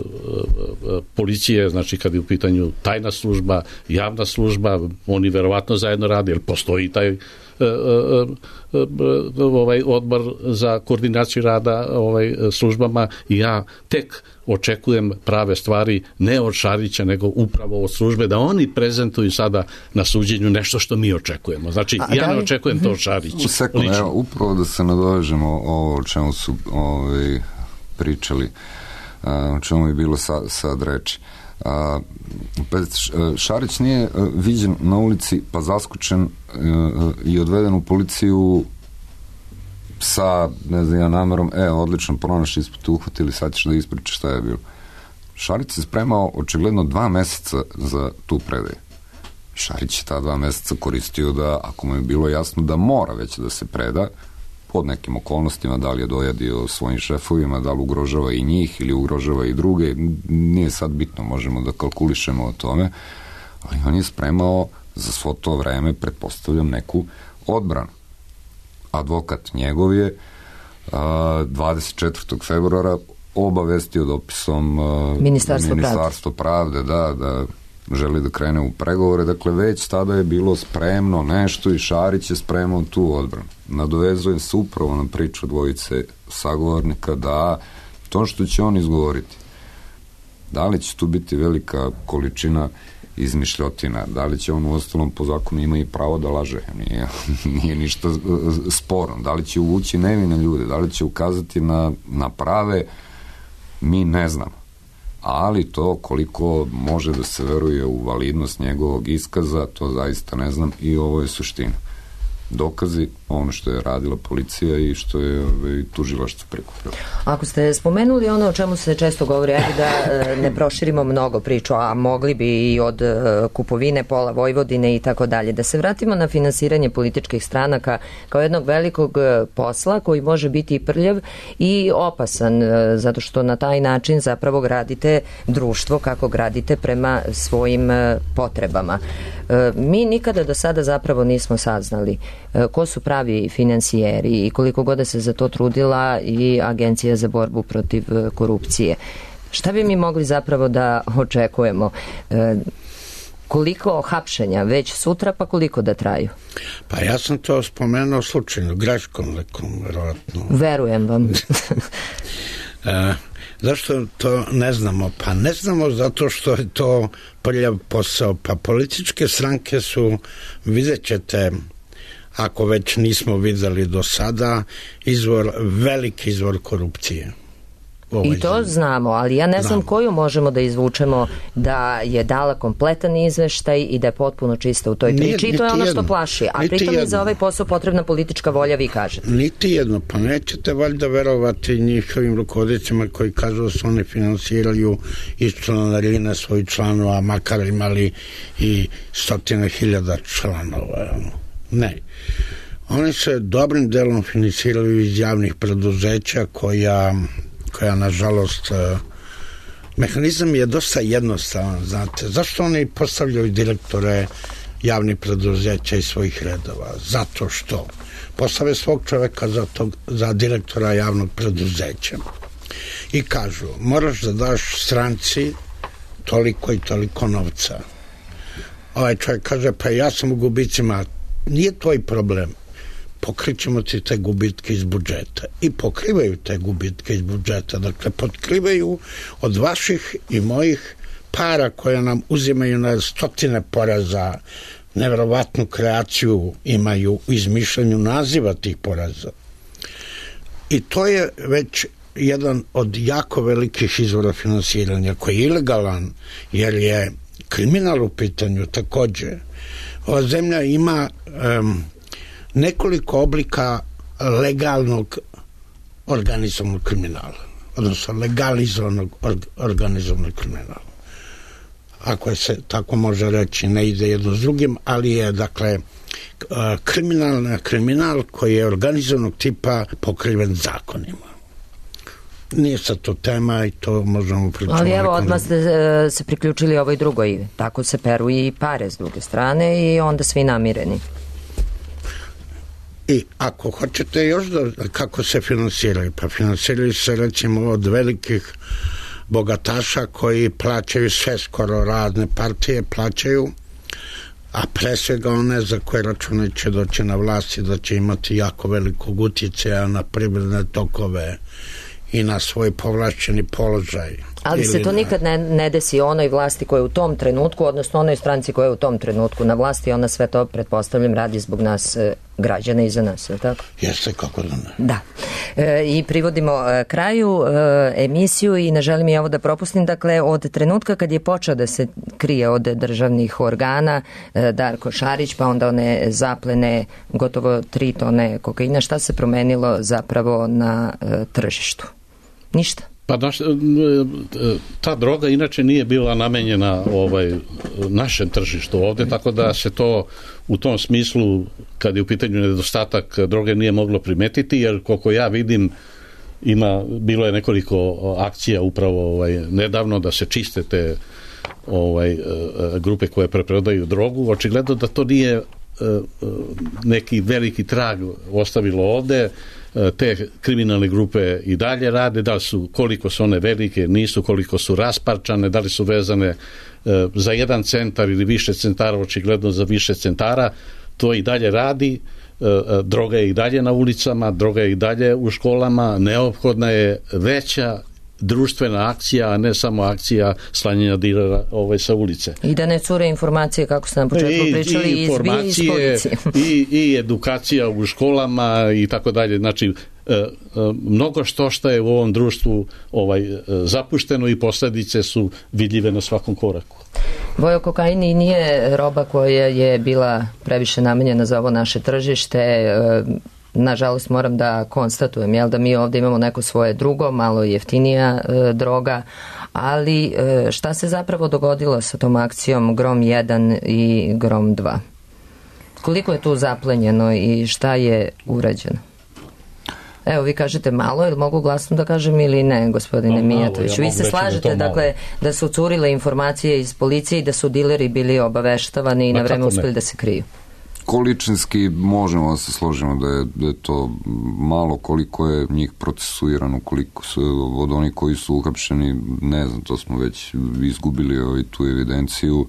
policije, znači kad je u pitanju tajna služba, javna služba, oni verovatno zajedno rade, jer postoji taj e, e, e, ovaj odbor za koordinaciju rada ovaj službama i ja tek očekujem prave stvari ne od Šarića nego upravo od službe da oni prezentuju sada na suđenju nešto što mi očekujemo. Znači A, ja ne očekujem to od Šarića. Sekund, evo, upravo da se nadovežemo ovo o čemu su ovaj, pričali, o čemu je bilo sad, sad reči. A, Šarić nije viđen na ulici pa zaskočen i odveden u policiju sa, ne znam ja, namerom, e, odlično, pronašli smo te uhvatili, sad ćeš da ispričaš šta je bilo. Šarić se spremao očigledno dva meseca za tu predaju. Šarić je ta dva meseca koristio da, ako mu je bilo jasno da mora već da se preda, pod nekim okolnostima, da li je dojadio svojim šefovima, da li ugrožava i njih ili ugrožava i druge, nije sad bitno, možemo da kalkulišemo o tome, ali on je spremao za svo to vreme, pretpostavljam, neku odbranu. Advokat njegov je a, dvadeset četvrtog februara obavestio dopisom a, Ministarstvo, Ministarstvo pravde, da, da želi da krene u pregovore, dakle već tada je bilo spremno nešto i Šarić je spremao tu odbranu. Nadovezujem se upravo na priču dvojice sagovornika da to što će on izgovoriti, da li će tu biti velika količina izmišljotina, da li će on u ostalom po zakonu ima i pravo da laže, nije, nije ništa sporno, da li će uvući nevine ljude, da li će ukazati na, na prave, mi ne znamo, ali to koliko može da se veruje u validnost njegovog iskaza, to zaista ne znam i ovo je suština. Dokazi, ono što je radila policija i što je ove, tužilaštvo prikupilo. Ako ste spomenuli ono o čemu se često govori, ajde da ne proširimo mnogo priču, a mogli bi i od kupovine pola Vojvodine i tako dalje, da se vratimo na finansiranje političkih stranaka kao jednog velikog posla koji može biti i prljav i opasan, zato što na taj način zapravo gradite društvo kako gradite prema svojim potrebama. Mi nikada do sada zapravo nismo saznali ko su pravi finansijeri i koliko god se za to trudila i Agencija za borbu protiv korupcije. Šta bi mi mogli zapravo da očekujemo? Koliko hapšenja već sutra, pa koliko da traju? Pa ja sam to spomenuo slučajno, greškom nekom, verovatno. Verujem vam. e, zašto to ne znamo? Pa ne znamo zato što je to prljav posao. Pa političke stranke su, vidjet ćete, ako već nismo videli do sada, izvor, veliki izvor korupcije. I to zemlji. Znamo, ali ja ne znam znamo. Koju možemo da izvučemo da je dala kompletan izveštaj i da je potpuno čista u toj priči. Nije, i to je ono jedno. Što plaši. A pritom je za ovaj posao potrebna politička volja, vi kažete. Niti jedno, pa nećete valjda verovati njihovim rukovodicima koji kažu da se oni finansiraju iz članarine svojih članova, makar imali i stotine hiljada članova. Ne. Oni se dobrim delom finansiraju iz javnih preduzeća koja, koja nažalost, mehanizam je dosta jednostavan, znate. Zašto oni postavljaju direktore javnih preduzeća iz svojih redova? Zato što postave svog čoveka za, tog, za direktora javnog preduzeća i kažu, moraš da daš stranci toliko i toliko novca. Ovaj čovjek kaže, pa ja sam u gubicima. Nije tvoj problem. Pokrićemo ti te gubitke iz budžeta. I pokrivaju te gubitke iz budžeta. Dakle, potkrivaju od vaših i mojih para koje nam uzimaju na stotine poraza. Neverovatnu kreaciju imaju u izmišljanju naziva tih poraza. I to je već jedan od jako velikih izvora finansiranja koji je ilegalan, jer je kriminal u pitanju takođe, ova zemlja ima um, nekoliko oblika legalnog organizovanog kriminala, odnosno legalizovanog organizovanog kriminala. Ako je se tako može reći, ne ide jedno s drugim, ali je, dakle, kriminal, kriminal koji je organizovanog tipa pokriven zakonima. Nije sad to tema i to možemo pričati. Ali evo, odmah ste se priključili ovoj drugoj. Tako se peru i pare s druge strane i onda svi namireni. I ako hoćete još da, kako se finansiraju, pa finansiraju se recimo od velikih bogataša koji plaćaju sve, skoro razne partije plaćaju, a pre svega one za koje račune će doći na vlast i da će imati jako velikog utjecaja na privredne tokove i na svoj povlašćeni položaj. Ali se to na... nikad ne, ne desi onoj vlasti koja je u tom trenutku, odnosno onoj stranci koja je u tom trenutku na vlasti, ona sve to, pretpostavljam, radi zbog nas e, građana i za nas, je tako? Jeste, kako da ne. Da. E, I privodimo e, kraju e, emisiju i ne želim i ovo da propustim. Dakle, od trenutka kad je počeo da se krije od državnih organa e, Darko Šarić, pa onda one zaplene gotovo tri tone kokaina, šta se promenilo zapravo na e, tržištu? Ništa. Pa naš, ta droga inače nije bila namenjena ovaj, našem tržištu ovde, tako da se to u tom smislu, kad je u pitanju nedostatak droge, nije moglo primetiti, jer koliko ja vidim, ima, bilo je nekoliko akcija upravo ovaj, nedavno da se čiste te ovaj, grupe koje preprodaju drogu. Očigledno da to nije neki veliki trag ostavilo ovde. Te kriminalne grupe i dalje rade, da li su, koliko su one velike, nisu, koliko su rasparčane, da li su vezane e, za jedan centar ili više centara, očigledno za više centara, to i dalje radi, e, droga je i dalje na ulicama, droga je i dalje u školama, neophodna je veća društvena akcija, a ne samo akcija slanjenja dilera ovaj, sa ulice. I da ne cure informacije, kako ste na početku I, pričali, i informacije, i, i edukacija u školama i tako dalje. Znači, e, e, mnogo što što je u ovom društvu ovaj, e, zapušteno i posljedice su vidljive na svakom koraku. Vojo, kokain i nije roba koja je bila previše namenjena za ovo naše tržište. E, Nažalost moram da konstatujem, jel, da mi ovdje imamo neko svoje drugo, malo jeftinija e, droga, ali e, šta se zapravo dogodilo sa tom akcijom Grom jedan i Grom dva? Koliko je tu zaplenjeno i šta je urađeno? Evo, vi kažete malo, ili mogu glasno da kažem ili ne, gospodine no, Mijatović? Ja vi se slažete, da dakle, da su curile informacije iz policije i da su dileri bili obaveštavani i na vreme uspjeli da se kriju? Količinski možemo da se složimo da je, da je to malo, koliko je njih procesuirano, koliko su od onih koji su uhapšeni, ne znam, to smo već izgubili ovaj, tu evidenciju.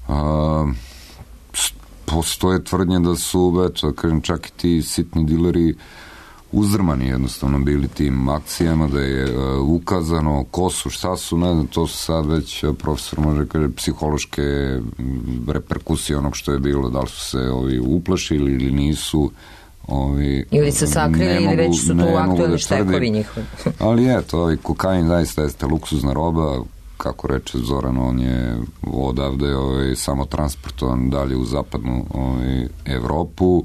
A, postoje tvrdnje da su, eto, kažem, čak i ti sitni dileri uzdrmani jednostavno bili tim akcijama, da je uh, ukazano ko su, šta su, ne znam, to su sad već profesor može kaže psihološke reperkusije onog što je bilo, da li su se ovi uplašili ili nisu, ovi, ili se sakrili ili već su tu aktualni štekovi njihovi. Ali eto, ovaj kokain zaista jeste luksuzna roba, kako reče Zoran, on je odavde ovaj, samo transportovan dalje u zapadnu ovaj, Evropu.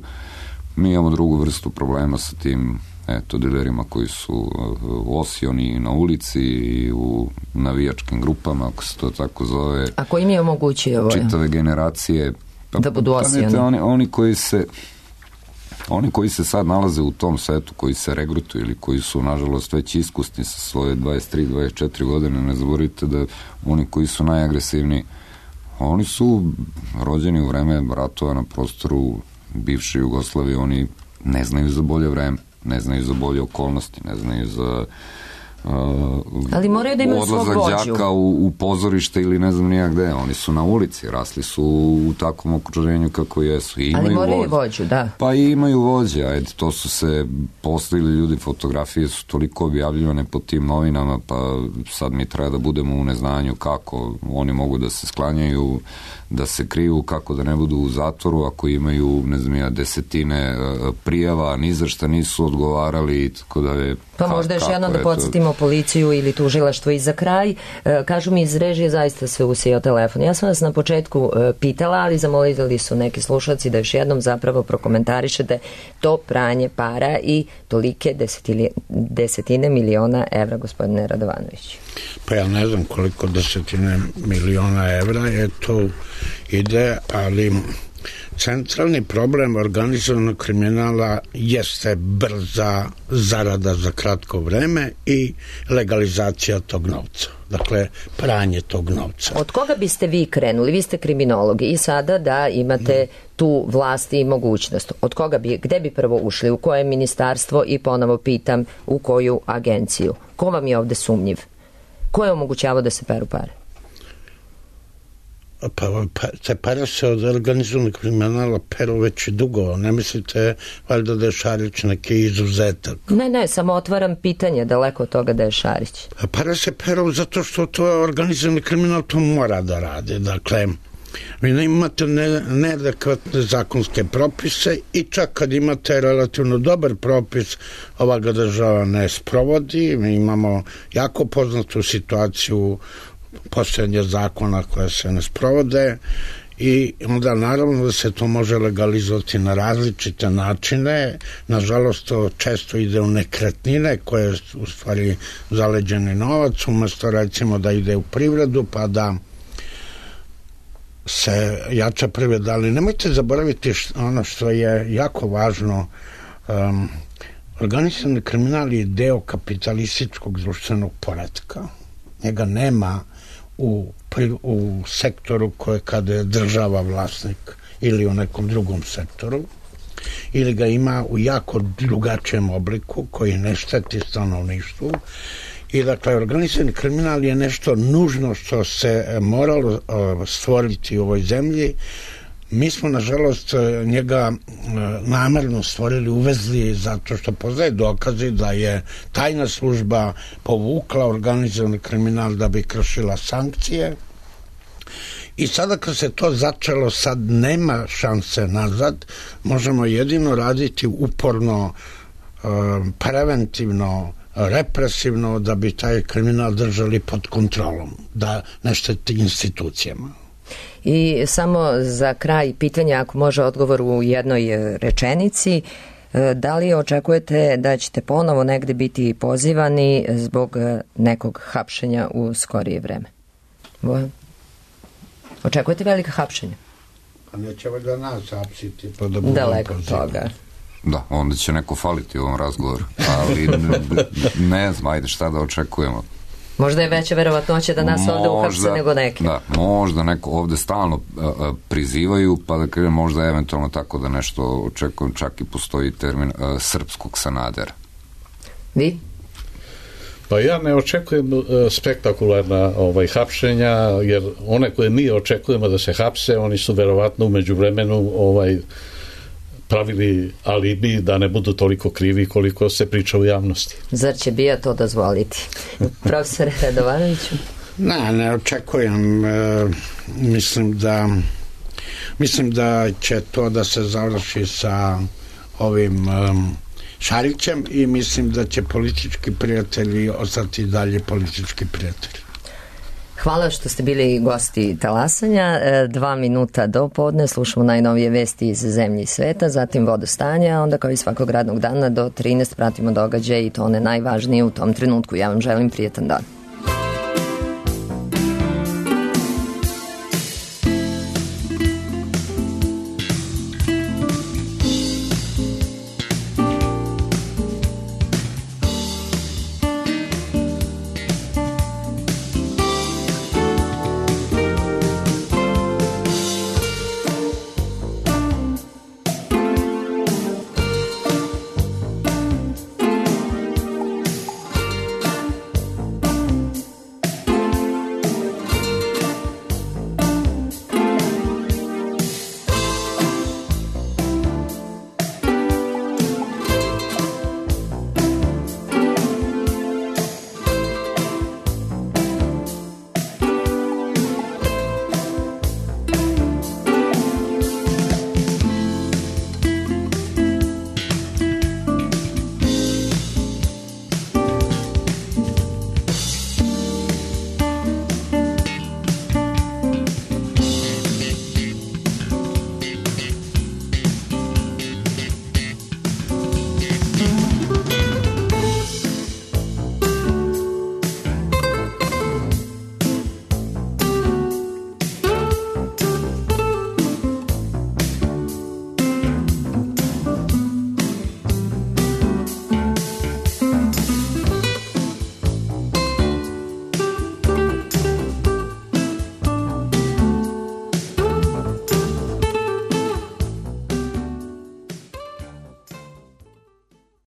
Mi imamo drugu vrstu problema sa tim eto, dilerima koji su osioni na ulici i u navijačkim grupama, ako se to tako zove. A ko im je omogućio ovo? Čitave generacije. Pa, da budu osioni. Oni, oni koji se oni koji se sad nalaze u tom svetu, koji se regrutuju ili koji su, nažalost, već iskusni sa svoje dvadeset tri dvadeset četiri godine, ne zaboravite da oni koji su najagresivniji, oni su rođeni u vreme ratova na prostoru bivše Jugoslavije, oni ne znaju za bolje vreme, ne znaju za bolje okolnosti, ne znaju za uh, ali moraju da imaju svog vođu. Odlazak đaka u, u pozorište ili ne znam nija gde, oni su na ulici, rasli su u takvom okruženju kako jesu. I imaju ali moraju vođu. vođu, da. Pa i imaju vođe, ajde, to su se postavili ljudi, fotografije su toliko objavljivane po tim novinama, pa sad mi treba da budemo u neznanju kako oni mogu da se sklanjaju, da se kriju, kako da ne budu u zatvoru ako imaju, ne znam ja, desetine prijava, ni za šta nisu odgovarali, tako da je... Pa možda još jedno da podsjetimo pitamo policiju ili tužilaštvo. I za kraj, kažu mi iz režije, zaista se usijao telefon. Ja sam vas na početku pitala, ali zamolili su neki slušalci da još jednom zapravo prokomentarišete to pranje para i tolike desetine, desetine miliona evra, gospodine Radovanović. Pa ja ne znam koliko desetine miliona evra je to ide, ali centralni problem organizovanog kriminala jeste brza zarada za kratko vreme i legalizacija tog novca. Dakle, pranje tog novca. Od koga biste vi krenuli? Vi ste kriminologi i sada da imate tu vlast i mogućnost. Od koga bi, gde bi prvo ušli? U koje ministarstvo? I ponovo pitam, u koju agenciju? Ko vam je ovde sumnjiv? Ko je omogućavao da se peru pare? Pa, pa te pare se od organizovanog kriminala peru već dugo. Ne mislite valjda da je Šarić neki izuzetak? Ne, ne, samo otvaram pitanje daleko od toga da je Šarić. Pare se peru zato što to je organizovani kriminal, to mora da radi. Dakle, vi ne imate ne, neadekvatne zakonske propise i čak kad imate relativno dobar propis, ova ga država ne sprovodi. Mi imamo jako poznatu situaciju postojanja zakona koje se ne sprovode i onda naravno da se to može legalizovati na različite načine. Nažalost, to često ide u nekretnine koje je u stvari zaleđeni novac, umesto recimo da ide u privredu pa da se jača privreda. Ali nemojte zaboraviti ono što je jako važno. Um, organizovani kriminal je deo kapitalističkog društvenog poretka. Njega nema u, u sektoru koje kada je država vlasnik ili u nekom drugom sektoru, ili ga ima u jako drugačijem obliku koji ne šteti stanovništvu. I dakle, organizovani kriminal je nešto nužno što se moralo stvoriti u ovoj zemlji. Mi smo, nažalost, njega namerno stvorili, uvezli zato što poznaje dokazi da je tajna služba povukla organizovani kriminal da bi kršila sankcije. I sada kad se to začelo, sad nema šanse nazad, možemo jedino raditi uporno, preventivno, represivno da bi taj kriminal držali pod kontrolom, da ne šteti institucijama. I samo za kraj pitanja, ako može odgovor u jednoj rečenici, da li očekujete da ćete ponovo negde biti pozivani zbog nekog hapšenja u skorije vreme? Bojan? Očekujete velika hapšenja? Pa neće da nas hapsiti. Pa da daleko toga. Da, onda će neko faliti u ovom razgovoru. Ali ne, ne znam, ajde šta da očekujemo. Možda je veća verovatnoća da nas možda, ovde uhapse nego neke. Da, možda neko ovde stalno uh, prizivaju, pa da kažem možda eventualno tako da nešto očekujem, čak i postoji termin uh, srpskog Sanadera. Vi? Pa ja ne očekujem uh, spektakularna ovaj, hapšenja, jer one koje mi očekujemo da se hapse, oni su verovatno umeđu vremenu ovaj, pravili alibi da ne budu toliko krivi koliko se priča u javnosti. Zar će bija to dozvoliti? Profesore Radovanoviću? Ne, ne očekujem. E, mislim da mislim da će to da se završi sa ovim um, Šarićem i mislim da će politički prijatelji ostati dalje politički prijatelji. Hvala što ste bili gosti Talasanja. Dva minuta do podne slušamo najnovije vesti iz zemlje i sveta, zatim vodostanja, onda kao i svakog radnog dana do trinaest pratimo događaje i to one najvažnije u tom trenutku. Ja vam želim prijetan dan.